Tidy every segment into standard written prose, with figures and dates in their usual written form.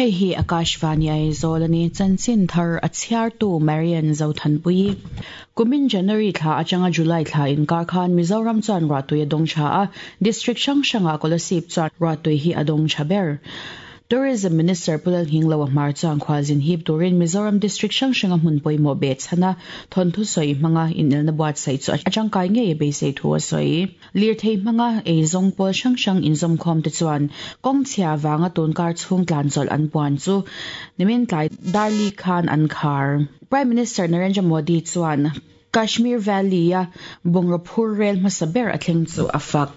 Hei hi Akashvani Aizawl a ni. Chanchin thar a chhiartu Marian Zothanpuii. Kumin January thla atanga July thla inkar khan Mizoram chuan ruahtui a dawng tha a, District hrang hrangah Kolasib chuan ruahtui hi a dawng tha ber. Tourism Minister Pu Lalhinglo Ahmar chuan khualzin hip turin Mizoram District hrang hranga hmun pawimawh beh chhana thawnthu sawi hmanga inelna buatsaih chu a tangkai ngei a beisei thu a sawi. Lirthei hmanga eizawng pawl hrang hrang inzawmkhawm te chuan kawng chhia vanga tunkar chhung tlan chawlh an puan chu nimin tlai Darli khan an khar. Prime Minister Narendra Modi chuan Kashmir Valley-a bungraw phur rel hmasa ber a thleng chu a fak.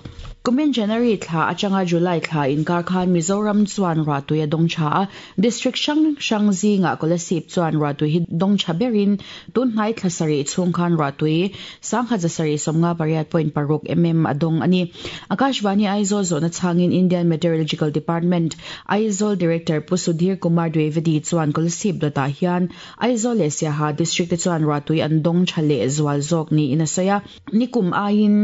Kumin January thla atanga July thla inkar khan Mizoram chuan ruahtui a dawng tha a, District hrang hrang zingah Kolasib chuan ruahtui hi dawng tha berin tun hnai thla sarih chhung khan ruahtui 1758.6 mm a dawng a ni. Akashvani Aizawl zawhna chhangin Indian Meteorological Department, Aizawl Director Pu Sudhir Kumar Dwivedi chuan Kolasib dawtah hian Aizawl leh Siaha District te chuan ruahtui an dawng tha leh zual zawk niin a sawi a, nikum aiin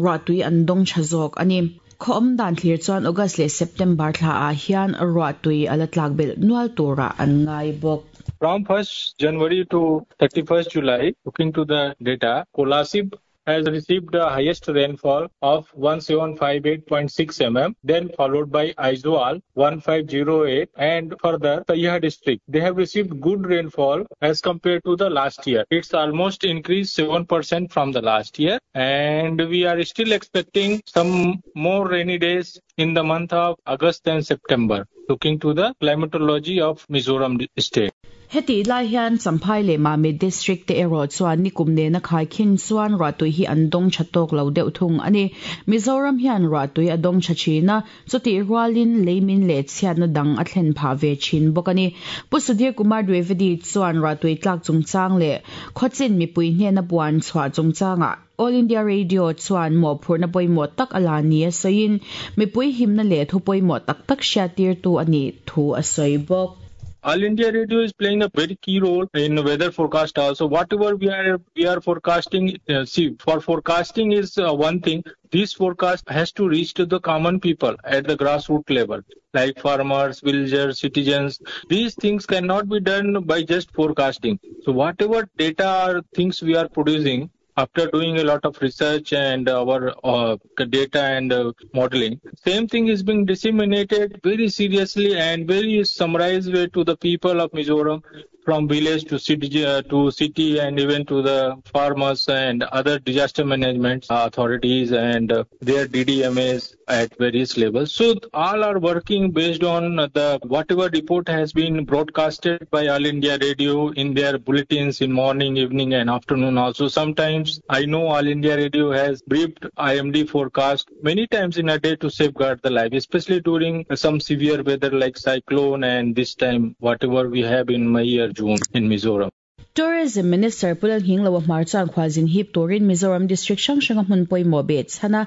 ruahtui an dawng tha zawk a ni. Khaw awm dan thlir chuan August leh September thla ah hian ruahtui a la tlak belh nual turah an ngai bawk. From 1st January to 31st July, looking to the data, Kolasib has received the highest rainfall of 1758.6 mm, then followed by Aizawl 1508 and further Saiha district. They have received good rainfall as compared to the last year. It's almost increased 7% from the last year and we are still expecting some more rainy days in the month of August and September looking to the climatology of Mizoram state. Hetih lai hian Champhai leh Mamit District te erawh chuan nikum nena khaikhin chuan ruahtui hi an dawng tha tawk lo deuh thung a ni. Mizoram hian ruahtui a dawng tha thin a, chutih rualin leimin leh chhiatna dang a thlen phah ve thin bawk a ni. Pu Sudhir Kumar Dwivedi chuan ruahtui tlak chungchang leh khawchin mipui hnena puan chhuah chungchangah All India Radio chuan mawhphurhna pawimawh tak a la ni a sawiin, mipui himna leh thu pawimawh tak tak hriattirtu a nih thu a sawi bawk. All India Radio is playing a very key role in weather forecast also. Whatever we are we are forecasting, uh, see, for forecasting is uh, one thing. This forecast has to reach to the common people at the grassroots level, like farmers, villagers, citizens. These things cannot be done by just forecasting. So whatever data or things we are producing, after doing a lot of research and our uh, data and uh, modeling, same thing is being disseminated very seriously and very summarized way to the people of Mizoram from village to city, uh, to city and even to the farmers and other disaster management authorities and uh, their DDMAs at various levels. So all are working based on the whatever report has been broadcasted by All India Radio in their bulletins in morning, evening and afternoon also. Sometimes I know All India Radio has briefed IMD forecast many times in a day to safeguard the life, especially during some severe weather like cyclone and this time whatever we have in May or June in Mizoram. Tourism Minister Pu Lalhingloa Hmar chuan khualzin hip turin Mizoram District hrang hranga hmun pawimawh beh chhana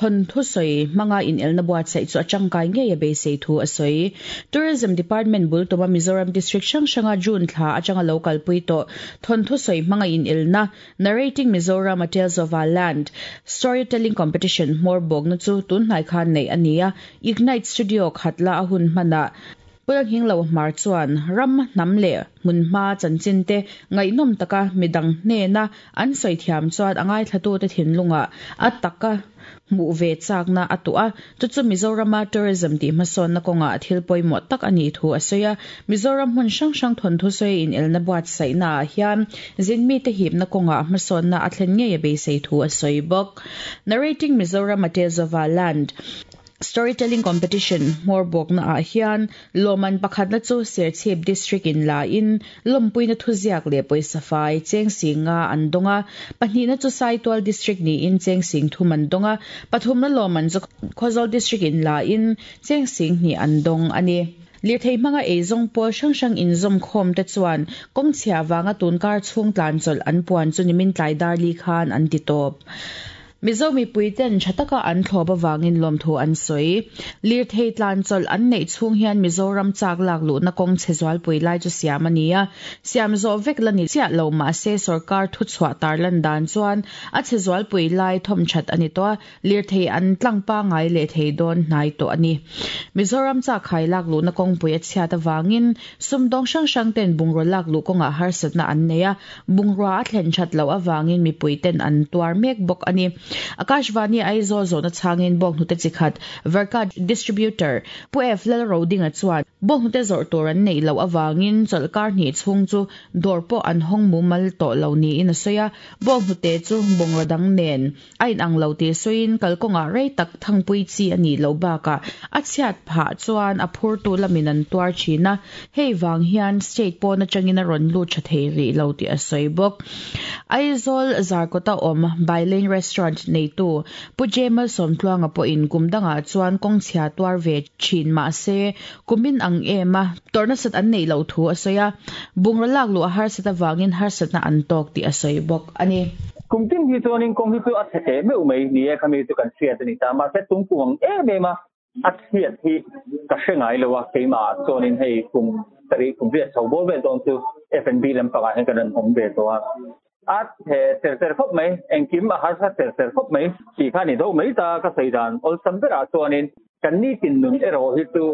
thawnthu sawi hmanga inelna buatsaih chu a tangkai ngei a beisei thu a sawi. Tourism Department bul tuma Mizoram District hrang hranga June thla atanga lo kalpui tawh thawnthu sawi hmanga inelna Narrating Mizoram A Tales of Our Land Storytelling Competition hmawr bawkna chu tunhnai khan neih a ni a, Ignite Studio khatla a hun hmanah Pu Lalhinglo Hmar chuan ram, hnam leh hmunhma chanchin te ngaihnawm taka midang hnena an sawi thiam chuan a ngaithlatute thinlungah a taka hmuh ve chakna a tuah a, chu chu Mizorama tourism tih hmasawnna kawngah thil pawimawh tak a nih thu a sawi a. Mizoram hmun hrang hrang thawnthu sawi inelna buatsaihnaah hian zinmite hipna kawngah hmasawnna a thlen ngei a beisei thu a sawi bawk. Narrating Mizoram A Tales of Our Land. Storytelling Competition hmawr bawkna ah hian lawmman pakhatna chu Serchhip District in la in lawmpuina thuziak leh pawisa fai cheng sing nga an dawng a, pahnihna chu Saitual District niin cheng sing thum an dawng a, pathumna lawmman chu Khawzawl District in la in cheng sing hnih an dawng a ni. Lirthei hmanga eizawng pawl hrang hrang inzawmkhawm te chuan kawngchhia vanga tunkar chhung tlan chawlh an puan chu nimin tlai darli khan an ti tawp. Mizo mipuiten tha taka an thlawp avangin lawmthu an sawi. Lirthei tlan chawlh an neih chhung hian Mizoram chak lak luhna kawng chhe zualpui lai chu siam a ni a, siam zawh vek la ni chiah lo mahse sorkar thuchhuah tarlan dan chuan a chhe zualpui lai thawmthat a ni tawh a, lirthei an tlang pangngai leh thei dawn hnai tawh a ni. Mizoram chak khai lak luhna kawngpui a chhiat avangin sumdawng hrang hrang ten bungraw lak luh kawngah harsatna an nei a, Bungrua a thlen that loh avangin mipui ten an tuar mek bawk a ni. Akashvani Aizawl zawhna chhangin bawnghnute chi khat Verka Distributor Pu F Lalrodinga chuan bawnghnute zawrh tur an neih loh avangin chawlhkar hnih chhung chu dawr pawh an hawng mumal tawh lo niin a sawi a, bawnghnute chu bungraw dang nen A inang lo tih sawiin kalkawngah rei tak thangpui chi a nih loh bakah a chhiat phah chuan a phurtu lamin an tuar thin a, hei vang hian state pawn atangin a rawn lut tha thei rih lo tih a sawi bawk. Aizawl Zarkawta awm Baileng Restaurant neitu Pu Jemal Sawmtluanga pawhin kum dangah chuan kawngchhia tuar ve thin mah se kumin ang em a tawrh nasat an neih loh thu a sawi a, bungraw lak luh a harsat avangin harsatna an tawk tih a sawi bawk a ni. Kum tin hi chuanin kawng hi chu a chhe teh meuh mai ni e, khami chu kan hriat a ni ta. Mahse tum kum ang em em a, a chhiat hi ka hre ngai lo a, keimah chuanin hei kum sarih kum riat chho bawr vel dawn chu F&B lampangah hian kan rawn awm ve tawh a. A chhe ser ser khawp mai, engkim a harsa ser ser khawp mai tih kha a ni deuh mai ta ka sawi dan awlsam berah chuanin Kan nitin nun erawh hi chu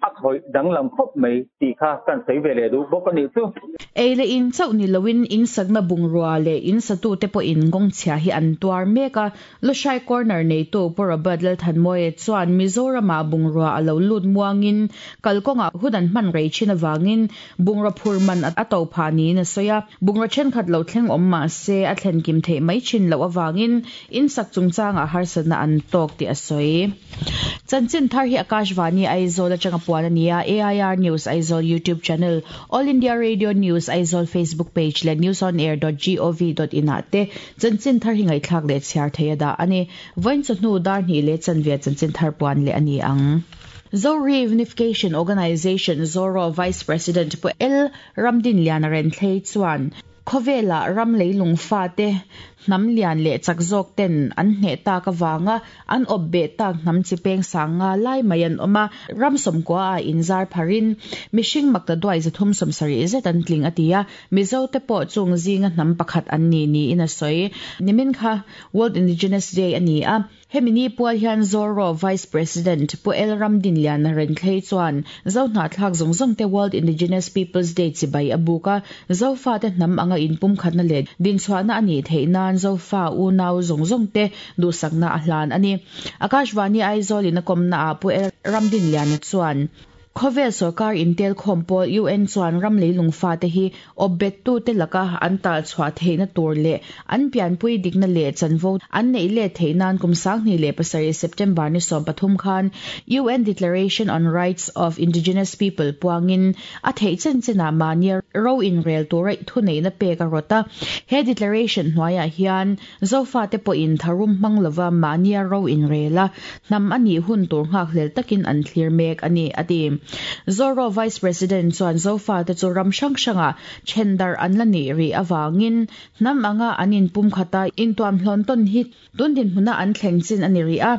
a khawih danglam khawp mai tih kha kan sawi ve leh duh bawk a nih chu. Ei leh in chauh ni loin in sakna bungrua leh in satute pawhin kawngchhia hi an tuar mek a. Lushai Corner neitu Pu Robert Lalthanmawia chuan Mizoramah bungrua a lo lut muangin kalkawngah hun an hman rei thin avangin bungraw phur man a to phah niin a sawi a. Bungraw thenkhat lo thleng awm mah se a thlen kim theih mai thin loh avangin in sak chungchangah harsatna an tawk tih a sawi. Chanchin thar hi Akashvani Aizawl atanga puan a ni a, AIR News Aizawl YouTube channel, All India Radio News Aizawl Facebook page leh newsonair.gov.in ah te chanchin thar hi ngaihthlak leh chhiar thei a dah a ni. Vawiin chawhnu dar hnih leh chanve chanchin thar puan leh a ni ang. Zori Unification Organisation, Zoro, Vice President Pu L. Ramdinliana Renthlei chuan khawvelah ram leilung fate hnam lian leh chak zawk ten an hneh tak avanga an awp beh tak hnam chi peng sang nga lai mai an awm a, ram sawmkua ah inzar pharin mihring makta duai 370 zet an tling a ti a, Mizo te pawh chung zinga hnam pakhat an ni niin a sawi. Nimin kha World Indigenous Day a ni a. Hemi ni pual hian Zoro Vice President Pu El Ramdinliana Renthlei chuan Zo hnahthlak zawng zawng te World Indigenous Peoples Day chibai a buk a, Zofa te hnam anga inpumkhatna leh dinchhuahna a nih theih nan Zofa unau zawng zawng te duhsakna a hlan a ni. Akashvani Aizawl in a kawmna ah Pu El Ramdinliana chuan, Khawvel sorkar intelkhawm pawl UN chuan ram leilung fate hi awpbettute laka an talchhuah theihna tur leh an pianpui dikna leh chanvo an neih let theih nan kum 2007 September ni 13 khan UN Declaration on Rights of Indigenous People puangin a theih chen chenah mahnia ro inrel tura thuneihna pek a rawt a. He declaration hnuaiah hian Zofate pawhin tharum hmang lova mahnia ro inrel a, hnam a nih hun tur nghakhlel takin an thlir mek a ni, a ti. Zoro Vice President chuan Zofate chu ram hrang hrangah then darh an la nih rih avangin hnam anga an inpumkhata intuamhlawn tawn hi tun dinhmuna an thleng chin a ni rih a.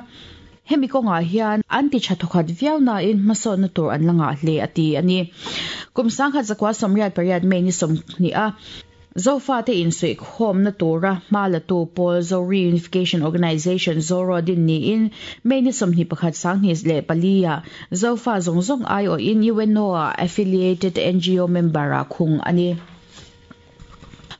Hemi kawngah hian an ti tha thawkhat viau nain hmasawnna tur an la ngah hle, a ti a ni. Kum 1988 May ni 20 a Zofate insuihkhawmna tura hma latu pawl Zo Reunification Organisation, Zoro, din niin May ni 21 2004 ah Zofa zawng zawng aiawhin UNO-ah affiliated NGO member-ah khung a ni.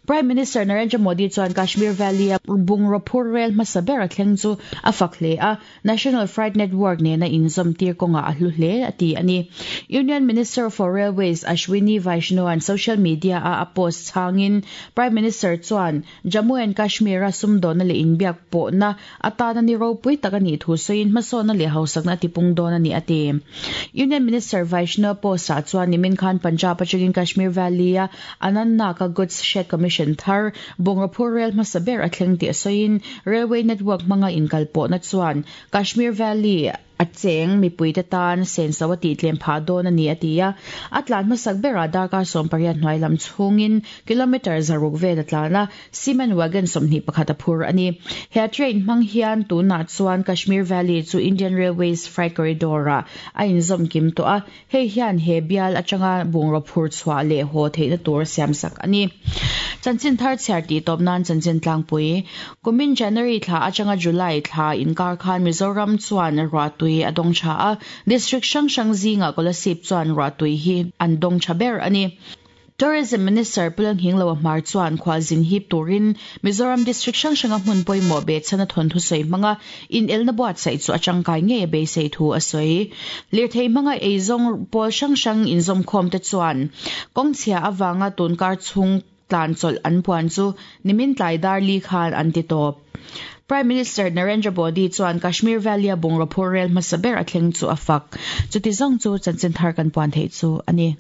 Prime Minister Narendra Modi chuan Kashmir Valley-a bungraw phur rel hmasa ber a thleng chu a fak hle a, National Freight Network nena inzawmtir kawngah a hlu hle a ti a ni. Union Minister for Railways Ashwini Vaishnaw-a'n social media-a a post chhangin Prime Minister chuan Jammu and Kashmir-a sumdawnna leh inbiak pawhna atana ni ropui tak a nih thu sawiin hmasawnna leh hausakna a tipung dawn a ni a ti. Union Minister Vaishnaw post-ah chuan nimin khan Punjab atangin Kashmir Valley-a Anantnag-a Goods Shed Commission thar bungraw phur rel hmasa ber a thleng tih a sawiin Railway network hmanga inkalpawhna chuan Kashmir Valley. A cheng mipuite tan senso a tihtlem phah dawn a ni a ti a. A tlan hmasak berah darkar 18 hnuai lam chhungin kilometre 600 vel a tlan a, cement wagon 21 a phur a ni. He train hmang hian tunah chuan Kashmir Valley chu Indian Railways freight corridor-ah a inzawm kim tawh a, hei hian he bial atanga bungraw phur chhuah leh haw theihna tur a siamsak a ni. Chanchin thar chhiar tih tawp nan chanchin tlangpui. Kumin January thla atanga July thla inkar khan Mizoram chuan ruahtui a dawng tha a, district hrang hrang zingah Kolasib chuan ruahtui hi an dawng tha ber a ni. Tourism Minister Pu Lalnghingloa Hmar chuan khualzin hip turin Mizoram district hrang hranga hmun pawimawh behchhan a thawnthu sawi hmanga inelna buatsaih chu a tangkai ngei a beisei thu a sawi. Lirthei hmanga eizawng pawl hrang hrang inzawmkhawmte chuan kawngchhia avanga tunkar chhung tlan chawlh an puan chu nimin tlai dar li khan an ti tawp. Prime Minister Narendra Modi chuan Kashmir Valley-a bungraw phur rel hmasa ber a thleng chu a fak. Chuti zawng chu chanchin thar kan puan theih chu a ni.